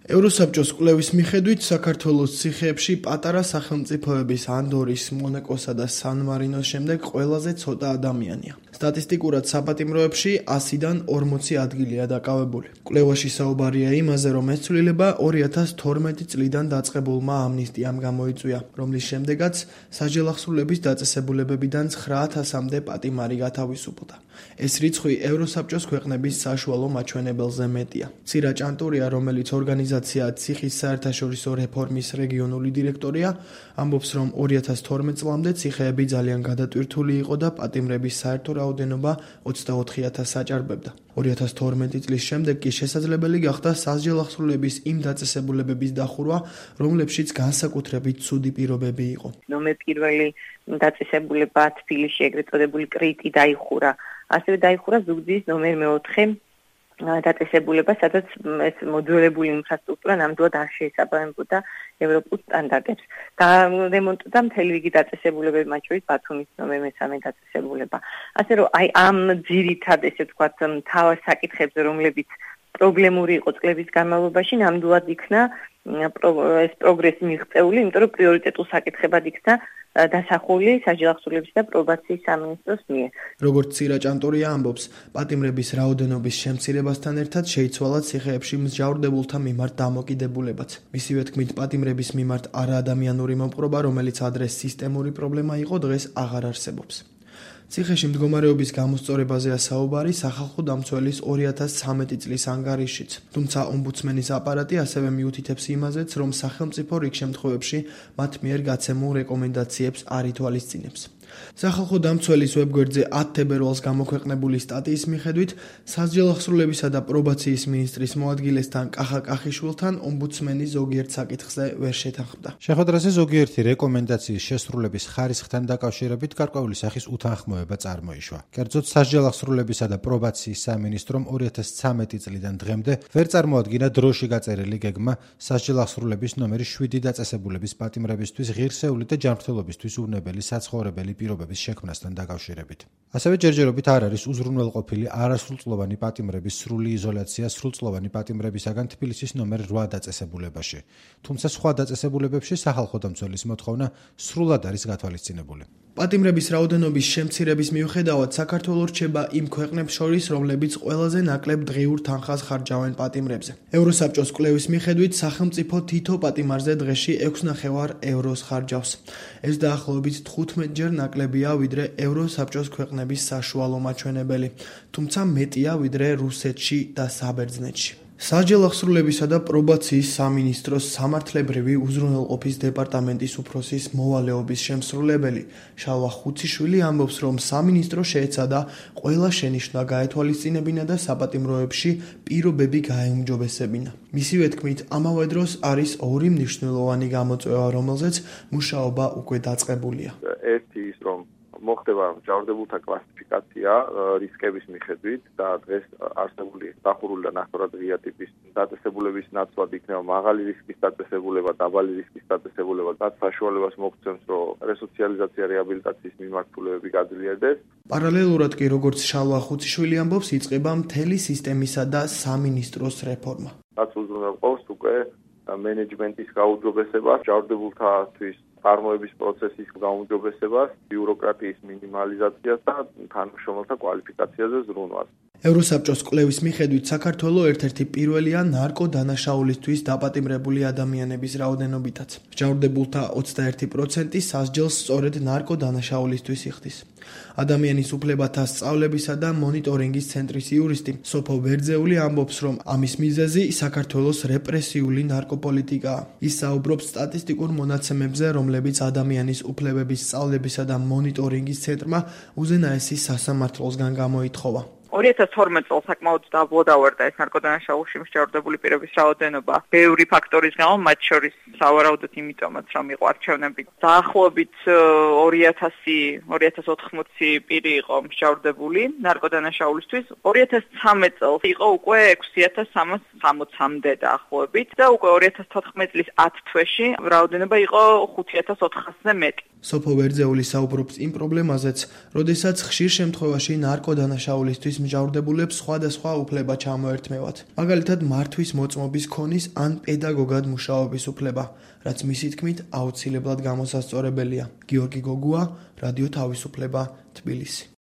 ევროსაბჭოს კვლევის მიხედვით საქართველოს ციხეებში პატარა სახელმწიფოების ანდორის, მონაკოსა და სან-მარინოს შემდეგ ყველაზე ცოტა ადამიანია. სტატისტიკურად საპატიმროებში 100-დან 40 ადგილია დაკავებული. კვლევაში საუბარია იმაზე, რომ ეს ცვლილება 2012 წლიდან დაწყებულმა ამნისტიამ გამოიწვია, რომლის შემდეგაც საჯელახსრულების დაწესებულებებიდან 9000-მდე პატიმარი გათავისუფლდა. ეს რიცხვი ევროსაბჭოს ქვეყნების საშუალო მაჩვენებელზე მეტია. ცირა ჭანტურია, რომელიც ორგანიზაცია ციხის საერთაშორისო რეფორმის რეგიონული დირექტორია, ამბობს, რომ 2012 წლამდე ციხეები ძალიან გადატვირთული იყო და პატიმრების საერთო რაოდენობა 24000 აჭარბებდა. 2012 წლის შემდეგ კი შესაძლებელი გახდა სასჯელახსრულების იმ დაწესებულებების დახურვა, რომლებშიც განსაკუთრებით ცუდი პირობები იყო. ნომერ პირველი დაწესებულება თბილისში ეგრეთ წოდებული კრიტი დაიხურა. ასევე დაიხურა ზუგდიდის ნომერ 4 დაწესებულება, სადაც ეს მოძველებული ინფრასტრუქტურა ნამდვილად არ შეესაბამებოდა ევროპულ სტანდარტებს. გარემონტდა მთელი რიგი დაწესებულებები, მათ შორის ბათუმის ნომერ 3 დაწესებულება. ასე რომ აი ამ ძირითად ესე ვთქვათ მთავარ საკითხებზე, რომლებიც პრობლემური იყო წლების განმავლობაში, ნამდვილად იქნა ეს პროგრესი მიღწეული, იმიტომ რომ პრიორიტეტულ საკითხებად იქნა დასახული საჯელახსრულების და პრობაციის სამინისტროს მიერ. როგორც ცირა ჭანტურია ამბობს, პატიმრების რაოდენობის შემცირებასთან ერთად შეიცვალა ციხეებში მსჯავრდებულთა მიმართ დამოკიდებულებაც. მისივე თქმით, პატიმრების მიმართ არაადამიანური მოპყრობა, რომელიც ადრე სისტემური პრობლემა იყო, დღეს აღარ არსებობს. ციხეში მდგომარეობის გამოსწორებაზეა საუბარი სახალხო დამცველის 2013 წლის ანგარიშშიც. თუმცა ომბუდსმენის აპარატი ასევე მიუთითებს იმაზეც, რომ სახელმწიფო რიგ შემთხვევებში მათ მიერ გაცემულ რეკომენდაციებს არ ითვალისწინებს. სახალხო დამცველის ვებგვერდზე 10 თებერვალს გამოქვეყნებული სტატიის მიხედვით, სასჯელახსრულებისა და პრობაციის მინისტრის მოადგილესთან კახა კახიშვილთან ომბუდსმენი ზოგიერთ საკითხზე ვერ შეთანხმდა. შეხვედრაზე ზოგიერთი რეკომენდაციის შესრულების ხარისხთან დაკავშირებით გარკვეული სახის უთანხმოება წარმოიშვა. კერძოდ, სასჯელახსრულებისა და პრობაციის სამინისტრომ 2013 წლიდან დღემდე ვერ წარმოადგინა დროში გაწერილი გეგმა სასჯელახსრულების ნომერი 7 დაწესებულების პატიმრებისთვის ღირსეული და ჯანმრთელობისთვის უვნებელი საცხოვრებელი პირობების შექმნასთან დაკავშირებით. ასევე ჯერჯერობით არ არის უზრუნველყოფილი არასრულწლოვანი პატიმრების სრული იზოლაცია სრულწლოვანი პატიმრებისაგან თბილისის ნომერ 8 დაწესებულებაში. თუმცა სხვა დაწესებულებებში სახალხო დამცველის მოთხოვნა სრულად არის გათვალისწინებული. პატიმრების რაოდენობის შემცირების მიუხედავად საქართველო რჩება იმ ქვეყნებს შორის, რომლებიც ყველაზე ნაკლებ დღიურ თანხას ხარჯავენ პატიმრებზე. ევროსაბჭოს კვლევის მიხედვით, სახელმწიფო თითო პატიმარზე დღეში 6,5 ევროს ხარჯავს. ეს დაახლოებით 15-ჯერ ნაკლებია, ვიდრე ევროსაბჭოს ქვეყნების საშუალო მაჩვენებელი, თუმცა მეტია ვიდრე რუსეთში და საბერძნეთში. საჯელახსრულებისა და პრობაციის სამინისტროს სამართლებრივი უზრუნველყოფის დეპარტამენტის უფროსის მოვალეობის შემსრულებელი შალვა ხუციშვილი ამბობს, რომ სამინისტრო შეეცადა ყველა შენიშვნა გაეთვალისწინებინა და საპატიმროებში პირობები გაეუმჯობესებინა. მისივე თქმით, ამავე დროს არის ორი მნიშვნელოვანი გამოწვევა, რომელზეც მუშაობა უკვე დაწყებულია. ერთი ის, რომ მოხდება მჯავრდებულთა კლასიფიკაცია რისკების მიხედვით და დღეს არსებული დახურული და ნახევრად ღია ტიპის დაწესებულების ნაცვლად იქნება მაღალი რისკის დაწესებულება, დაბალი რისკის დაწესებულება, რაც საშუალებას მოგცემს, რომ რესოციალიზაცია რეაბილიტაციის მიმართულებები გაძლიერდეს. პარალელურად კი, როგორც შალვა ხუციშვილი ამბობს, იწყება მთელი სისტემისა და სამინისტროს რეფორმა. რაც უზრუნველყოფს უკვე მენეჯმენტის გაუმჯობესებას, მჯავრდებულთათვის წარმოების პროცესის გაუმჯობესებას, ბიუროკრატიის მინიმალიზაციას და თანამშრომელთა კვალიფიკაციაზე ზრუნვას. ევროსაბჭოს კვლევის მიხედვით, საქართველო ერთ-ერთი პირველია ნარკოდანაშაულისთვის დაპატიმრებული ადამიანების რაოდენობითაც. მჯავრდებულთა 21% სასჯელს სწორედ ნარკოდანაშაულისთვის იხდის. ადამიანის უფლებათა სწავლებისა და მონიტორინგის ცენტრის იურისტი სოფო ვერძეული ამბობს, რომ ამის მიზეზი საქართველოს რეპრესიული ნარკოპოლიტიკაა. ის საუბრობს სტატისტიკურ მონაცემებზე, რომლებიც ადამიანის უფლებების სწავლებისა და მონიტორინგის ცენტრმა უზენაესი სასამართლოსგან გამოითხოვა. 2012 წელს საკმაოდ დაბლოდავარდა ეს ნარკოდანაშაულში მსჯავრდებული პირების რაოდენობა ბევრი ფაქტორის გამო, მათ შორის სავარაუდოდ იმიტომაც, რომ იყო არჩევნები. დაახლოებით 2080 პირი იყო მსჯავრდებული ნარკოდანაშაულისთვის. 2013 წელს იყო უკვე 6360-მდე დაახლოებით და უკვე 2014 წლის 10 თვეში რაოდენობა იყო 5400-ზე მეტი. სოფო ვერძეული საუბრობს იმ პრობლემაზეც, როდესაც ხშირ შემთხვევაში ნარკოდანაშაულისთვის მსჯავრდებულებს სხვადასხვა უფლება ჩამოერთმევათ. მაგალითად, მართვის მოწმობის ქონის ან პედაგოგად მუშაობის უფლება, რაც მისი თქმით აუცილებლად გამოსასწორებელია. გიორგი გოგუა, რადიო თავისუფლება, თბილისი.